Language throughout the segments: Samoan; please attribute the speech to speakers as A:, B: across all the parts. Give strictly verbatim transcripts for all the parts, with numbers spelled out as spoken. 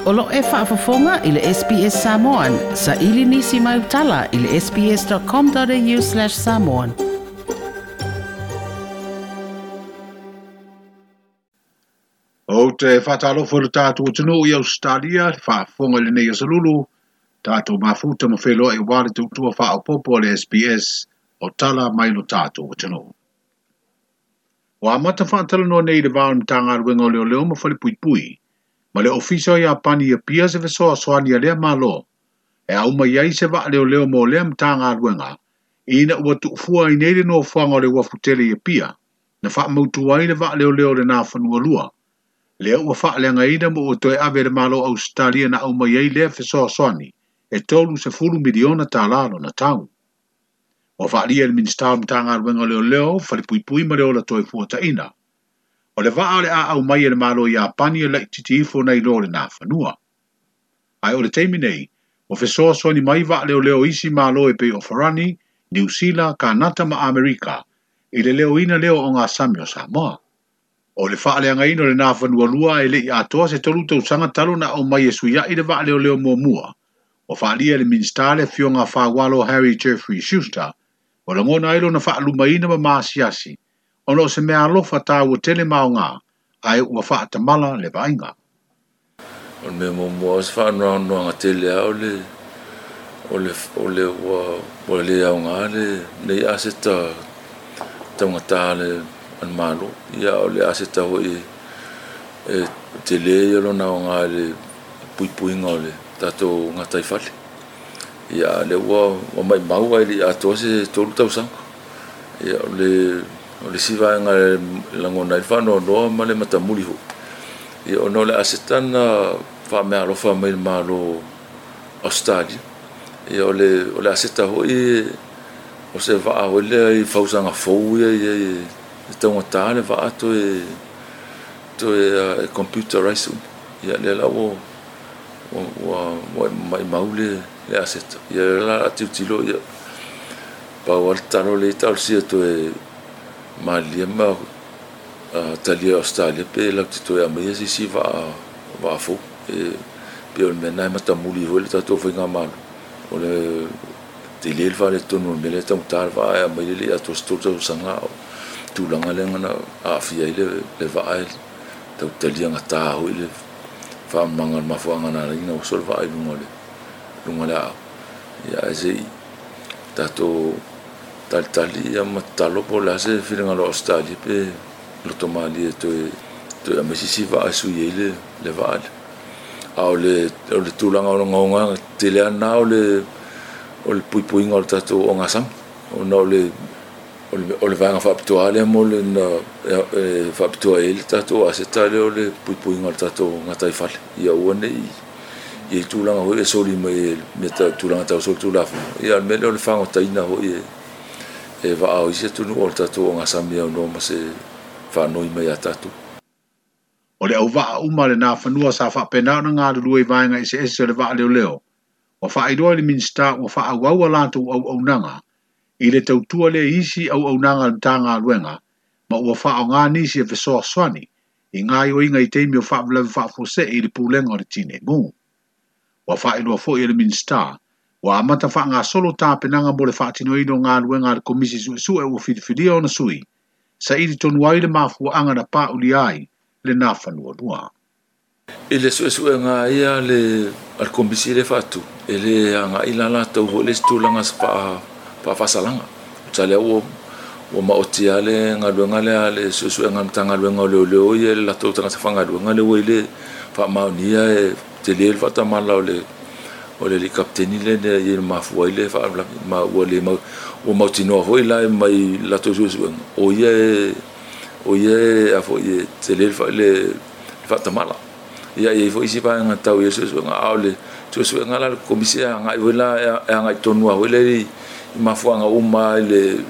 A: O lo e faafofoga i le S B S Samoan, sa ili nisi mai utala i le sbs.com.au slash samoan.
B: O te whātalofo le tātou atunuu i Australia, le faafofoga i lenei asolulu, tātou mafuta ma wheloa e wale tautua whaopopo a le S B S o tala mai lo tātou atunuu. Wa amata whaatalanoa nei le vao Matagaluega o Leoleo ma Falepuipui, ma le ofisa o Iapani ia pia se fesoasoani a lea malo, e auma iai se vaa leoleo mo lea Matagaluega, ina ua tuufua ai nei le nofoaga o le uafu tele i Apia, na faamautu ai le vaa leoleo le Nafanua Lua. Lea ua faaleagaina ma ua toe ave le Malo Australia na aumai ai lea fesoasoani, e tolu sefulu miliona tala lona tau. Ua faalia le Minisita o Matagaluega o Leoleo, Falepuipui ma le Ola Toe Fuataina. O le vaa o le a aumai e le Malo Iapani e laitiiti ifo nai lo le Nafanua. Ae o le taimi nei, ua fesoasoani mai vaa leoleo isi malo e pei o Farani, Niu Sila, Kanata ma Amerika, i le leoina leo o ngā sami o Samoa. O le faaleagaina o le Nafanua Lua e lei atoa se tolu tausaga talo na aumai e suiai le vaa leoleo muamua. Ua faalia le Minisita le Afioga Faualo Harry Jeffrey Schuster, o lagona ai lona faalumaina ma maasiasi, ona o se mea alofa tāua tele maoga, ae ua faatamala le vaaiga.
C: O le mea muamua o se faanoanoaga tele lava o le o le o le ua ua le aoga le nei aseta taugata le a le Malo. Ia o le aseta foi e tele ia lona aoga i le puipuiga o le tatou gataifale. Ia le ua ua maumau ai le atoa se tolu tausaga. Ia o le o le isi vaega e lagona ai le faanoanoa ma le matamuli foi. Ia ona o le aseta na faameaalofa mai le Malo Australia. Ia o le o le aseta foi o se vaa foi lea i fausaga fou ia ia e taugata le vaa toe toe e computerize uma. Ia lea la ua ua ua maumau le le aseta. Ia la a tilotilo ia pau a le talo le talosia toe malie ma talia Australia pe latou te toe aumaia se isi vaa vaa fou. E pei o le mea lena e matamuli foi le tatou faigamalo. O le tele le faaletonu o le mea lea e taugata le vaa e aumai le lei atoa se tolu tausaga o tulaga lea na aafia ai le le vaa e tau talia gata foi le faamamaga o le mafuaaga na ala ai ona oso le vaa i luga o le luga o le aao. Ia ae se i tatou talitali ia ma tatalo po o le a se finagalo o Australia pe loto malie toe toe aumai se isi vaa e sui ai le le vaa lea. A o le o le tulaga o le ogaoga tele lava lena o le o le puipuiga o le tatou ogasami. Ona o le o le o le vaega faapitoa lea mo le na e faapitoa ai le tatou aseta lea o le puipuiga o le tatou gataifale. Ia aua ne i i tulaga foi e soli mai e mea tau tulaga tau solitulafono. Ia o le mea lea o le fagotaina foi e e vaa o isi atunuu o le tatou ogasami e aunoa ma se faanoi mai ia tatou.
B: O le auvaa uma le Nafanua sa faapena ona galulue i vaega eseese o le vaa leoleo. Ua faailoa i le Minisita ua faaauau a latou auaunaga i le tautua lea i isi auaunaga a le Matagaluega ma ua faaaoga nisi e fesoasoani i gaoioiga i taimi o faalavelave faafuasei i le pulega o le tineimu. Ua faailoa foi e le Minisita ua amata faagasolo tapenaga mo le faatinoina o galuega a le Komisi Suesue ua filifilia ona sui, saili tonu ai le mafuaaga na paulia ai le Nafanua Lua.
C: I le suesuega ia le a le Komisi le faatu, e le agai la latou foi le isi tulaga se faa faafaasalaga. Tusa lea ua ua maoti lava le galuega lea a le suesuega a le Matagaluega o Leoleo ia le latou tagata faigaluega lea ua i le faamaonia e tele le faatamala o le o le alii kapiteni lea i le mafua ai le faalavelave ma ua le mau ua mautinoa foi la mai latou suesuega o ia e o ia e a foi e tele le le faatamala. Ia e i ai foi isi vaega tau i le suesuega a o le suesuega la a le Komisi e agai foi la e agai tonu lava foi lea i mafuaaga uma i le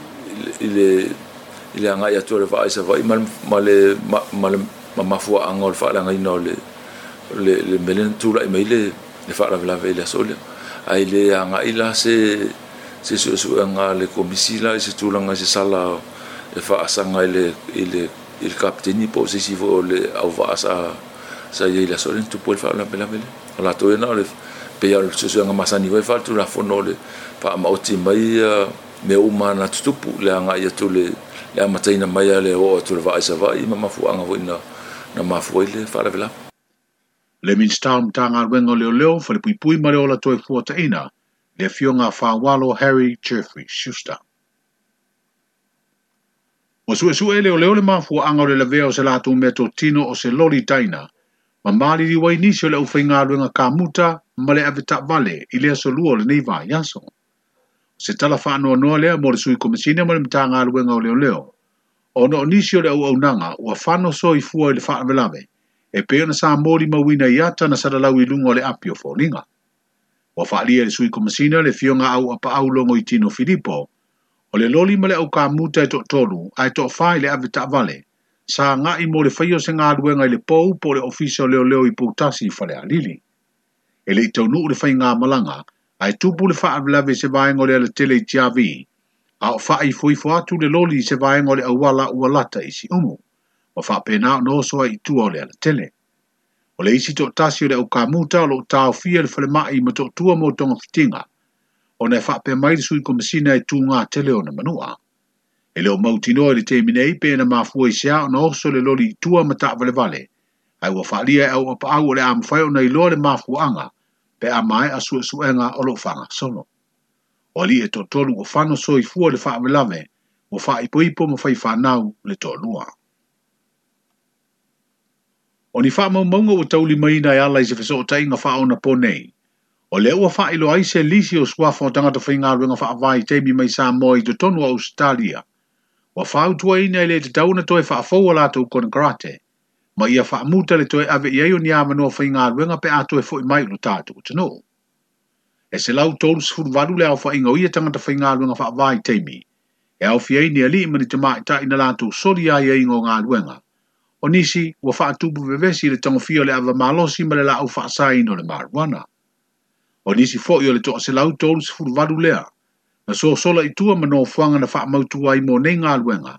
C: i le i le agai atu o le vaa i Savaii ma le ma le ma le mafuaaga o le faaleagaina o le le le mea lea na tulai mai le le faalavelave i le aso lea. Ae le agai la se se suesuega a le Komisi la i se tulaga i se sala e faasaga i le i le i le kapiteni po o se isi foi o le auvaa sa Sa i ai le aso lea na tupu ai le faalavelave lea. O latou ia na o le pei lava o le suesuega masani foi faale-Tulafono o le faamaoti mai mea uma na tutupu le agai atu le le amataina mai a le oo atu le vaa i Savaii ma mafuaaga foi na na mafua ai le faalavelave.
B: Le Minisita o Matagaluega o Leoleo, Falepuipui ma le Ola Toefuataiga, le Afioga Faualo Harry Jeffrey Schuster. Ua suesue e leoleo le mafuaaga o le lavea o se latou meatotino o se loli taina, ma maliliu ai nisi o le aufaigaluega kamuta ma le avetaavale i le aso lua o lenei vaiaso. O se tala faanoanoa lea mo le sui Komesina ma le Matagaluega o Leoleo, ona o nisi o le auaunaga ua fano soifua i le faalavelave, e pei ona sa molimauina i ata na salalau i luga o le api o foliga. Ua faaalia e le sui Komesina le Afioga Auapaau Logoitino Filipo, o le loli ma le aukamuta e toatolu ae toafa i le avetaavale, sa agai mo le faia o se galuega i le pou po o le ofisa o leoleo i Poutasi i Falealili. E le i taunuu le faigamalaga, ae tupu le faalavelave i se vaega o le alatele i Tiavi, a o faaifoifo atu le loli i se vaega o le auala ua lata i Siumu, ma faapena ona oso ai i tua o le alatele. O le isi toatasi o le aukamuta o lo o taofia le falemai ma toatua mo togafitiga, ona e faapea mai le sui Komesina e tūgā tele ona manua. E le o mautinoa i le taimi nei pe na mafua i se a ona oso le loli i tua ma taavalevale, ae ua faaalia e auapaau o le a mafai ona iloa le mafuaaga pe a maea suesuega o lo o faagasolo. O alii e toatolu ua fano soifua i le faalavelave, ua faaipoipo ma fai fanau le toalua. O ni faamaumauga ua taulimaina e ala i se fesootaiga faaonapo nei, o lea ua faailoa ai se lisi o suafa o tagata faigaluega faavaitaimi mai Samoa i totonu o Ausetalia, ua fautuaina e le tatau ona toe faafou a latou konekarate, ma ia faamuta le toe ave i ai o ni avanoa faigaluega pe a toe foi mai i lo tatou atunuu. E selau tolu sefulu valu le aofaiga o ia tagata faigaluega faavaitaimi, e aofia ai ni alii ma ni tamaitai na latou soli aiaiga o galuega. O nisi ua faatupu vevesi i le tagofia o le ava malosi ma le laau faasaina o le marijuana. O nisi foi o le toaselau tolu sefulu valu lea, na sosola i tua ma nofoaga na faamautu ai mo nei galuega,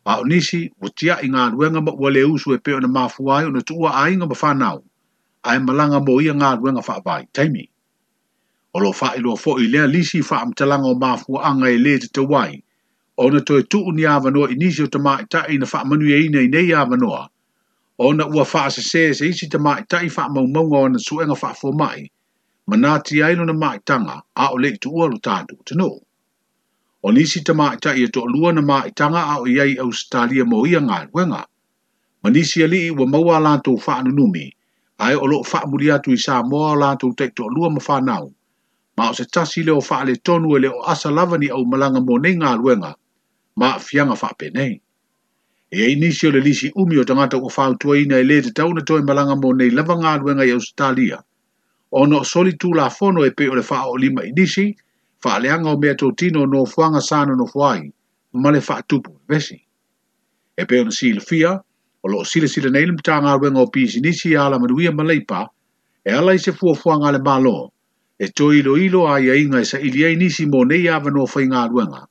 B: a o nisi ua tiai galuega ma ua le usu e pei ona mafua ai ona tuua aiga ma fanau, ae malaga mo ia galuega faavaitaimi. O lo o faailoa foi lea lisi faamatalaga o mafuaaga e le tatau ai, ona toe tuu ni avanoa i nisi o tamaitai na faamanuiaina i nei avanoa, ona ua faasese se isi tamaitai faamaumauga o ana suega faafomai, ma natia ai lona maitaga a o le i tuua lo tatou atunuu. O nisi tamaitai e toalua na maitaga a o i ai i Ausetalia mo ia galuega. Ma nisi alii ua maua a latou faanunumi, ae o lo o faamuli atu i Samoa o latou taitoalua ma fanau, ma o se tasi lea o faaletonu e le o asa lava ni aumalaga mo nei galuega, ma aafiaga faapenei. E i ai nisi o le lisi umi o tagata ua fautuaina e le tatau ona toe malaga mo nei lava galuega i Ausetalia, ona o soli tulafono e pei o le faaoolima i nisi, faaleaga o meatotino o nofoaga sa nonofo ai, ma le faatupu vevesi. E pei ona silafia, o lo o silasila nei le Matagaluega o Pisinisi ia Alamanuia ma Leipa, e ala i se fuafuaga a le Malo, e toe iloilo aiaiga e saili ai nisi mo nei avanoa faigaluega,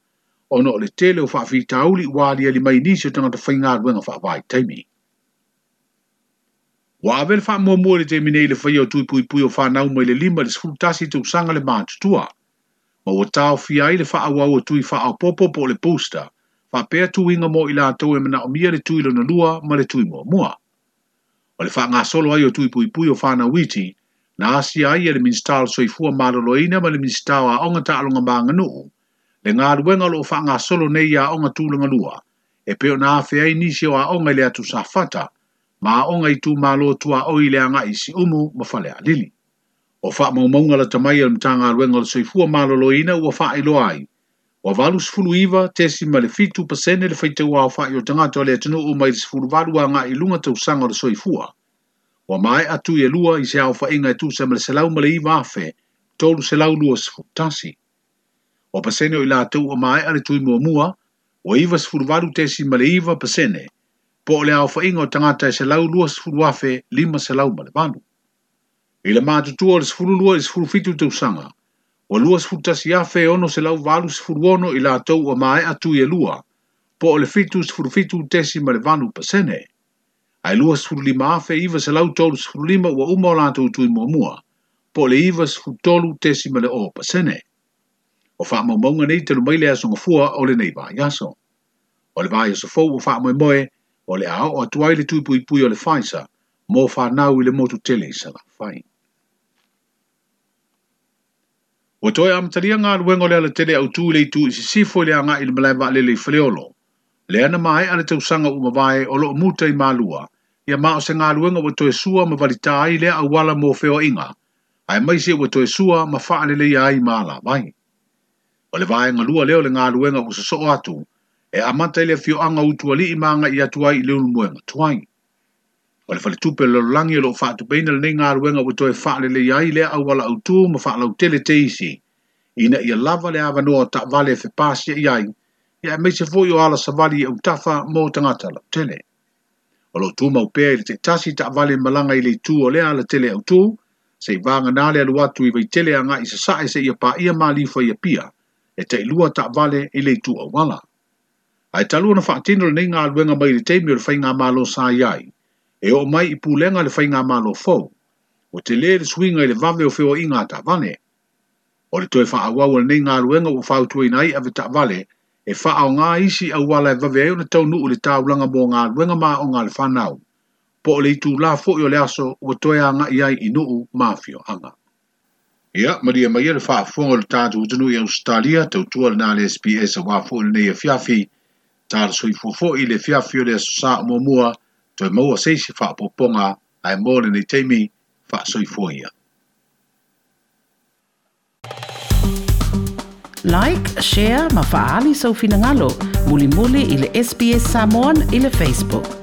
B: ona o le tele o faafitauli ua aliali mai nisi o tagata faigaluega faavaitaimi. Ua ave le faamuamua i le taimi nei i le faia o tui puipui o fanau mai le lima i le sefulu tasi tausaga le matutua, ma ua taofia ai le faaauau o tui faaopoopo po o le booster, faapea tuiga mo i latou e manaomia le tui lona lua ma le tui muamua. O le faagasolo ai o tui puipui o fanau iti, na asia ai e le Minisita o le Soifua Maloloina ma le Minisita o Aoga Taaloga ma Aganuu, le galuega o lo o faagasolo nei i aoga tulaga lua, e pei ona afea ai nisi o aoga i le atu Safata, ma aoga i itumalo tuaoi i le agai i Siumu ma Falealili. O faamaumauga lata mai a le Matagaluega o le Soifua Maloloina ua faailoa ai, ua valu sefulu iva tesima le fitu pasene le faitau aofai o tagata o le atunuu mai le sefulu valu agai i luga tausaga o le soifua. Ua maea tui e lua i se aofaiga e tusa ma le selau ma le iva afe, tolu selau lua sefulu tasi. O pasene o i latou ua maea le tui muamua, ua iva sefulu valu tesima le iva pasene, po o le aofaiga o tagata e selau lua sefulu afe lima selau ma le valu. I le matutua o le sefulu lua i le sefulu fitu tausaga, ua lua sefulu tasi afe e ono selau valu sefulu ono i latou ua maea tui e lua, po o le fitu sefulu fitu tesima le valu pasene. Ae luasefululima afe iva selau tolusefululima ua uma o latou tui muamua, po o le ivasefulutolu tesima le o pasene. O faamaumauga nei talu mai le aso Gafua o lenei vaiaso. O le vaiaso fou ua faamoemoe o le a oo atu ai le tui puipui o le Pfizer mo fanau i le motu tele i Salafai. Ua toe amatalia galuega o le alatele autū i le itu i sisifo i le agai i le malae vaalele i Faleolo. Lea na maea le tausaga ua mavae o loo muta i Malua, ia ma o se galuega ua toe sua ma valitā ai lea auala mo feoaiga, aemaise ua toe sua ma faaleleia ai ma alavai. O le vaega lua lea o le galuega ua sosoo atu, e amata i le afioaga o Utualii ma agai atu ai i Leulumoega tuai. O le faletupe o le lalolagi o loo faatupeina lenei galuega ua toe faaleleia ai lea auala autū ma faalautele teisi, ina ia lava le avanoa o taavale e fepasiai ai, ia aemaise foi o ala savali i autafa mo tagata lautele. O loo tumau pea i le taitasi taavale malaga i le itu o lea alatele autū, seia vagana le alu atu i Vaitele agai i sasae seia paia Malifa i Apia, e tailua taavale i le itu auala. Ae talu ona faatino lenei galuega mai le taimi o le faigamalo sa i ai, e oo mai i pulega le faigamalo fou, ua tele le suiga i le vave o feoaiga a taavale. O le toe faaauau o lenei galuega ua fautuaina ai ave taavale e faaaoga isi auala e vave ai ona taunuu i le taulaga mo galuega ma aoga a le fanau, po o le itulā foi o le aso ua toe agai ai i nuu ma afioaga. Ia, malie maia le faafofoga o le tatou atunuu i Ausetalia, tautua lena le S B S auā foi lenei afiafi, tala soifua foi i le afiafi o le aso Sa o muamua, toe maua se isi faaopoopoga ae mo lenei taimi faasoifua ia.
A: Like, share ma faaali sou finagalo, mulimuli i le S B S Samoan i le Facebook.